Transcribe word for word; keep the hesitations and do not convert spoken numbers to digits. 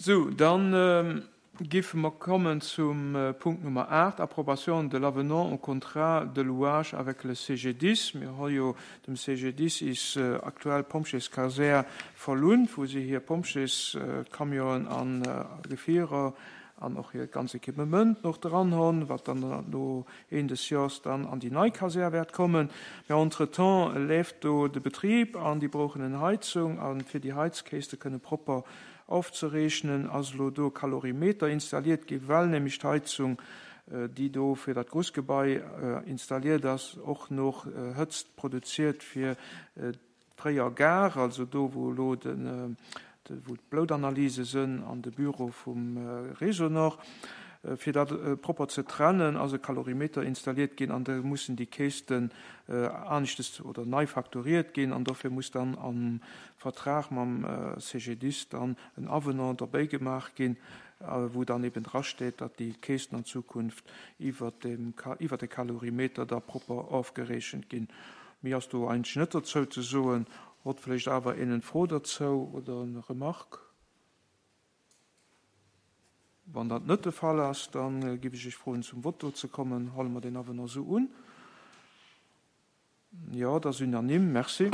Sou, dann giffe mer kommen zum Punkt Nummer aacht, Approbation de l'avenant au contrat de louage avec le C G D I S. Mir hu jo dem C G D I S is aktuell Pompjeeskasär verlount, wou si hir Pompjeescamionen an Gefierer an och hiert ganz Equipement nach dran hunn, wat dann no Enn des Jors dann an déi nei Kasär wäert kommen. Mä entretemps leeft do de Betrib an déi brauchen eng Heizung, a fir déi Heizkäschte kënne propper ofzerechnen, ass elo do Kalorimeter installiert gi, well nämlech d'Heizung, déi do fir dat Grussgebai installiert ass, och nach Hëtzt produziert fir d'fréier Gare, also do, wou elo de wou d'Bloutanalyse sinn an de Büro vum Réseau Nord. Fir dat propper ze trennen, ass e Kalorimeter installiert ginn an da mussen déi Käschten aneschtes oder nei fakturiert ginn an dofir muss dann am Vertrag mam C G D I S dann en Avenant derbäi gemaach ginn, wou dann eben drasteet, datt déi Käschten an Zukunft iwwer de iwwer de Kalorimeter da propper ofgerechent ginn. Méi ass do eigentlech net dozou ze soen. Huet vläicht awer een eng Fro dozou oder eng Remarque? Wann dat net de Fall ass, dann giff ech iech froen, zum Voto ze kommen. Huele mer deen Avenant esou un? Jo, dat ass unanime. Merci.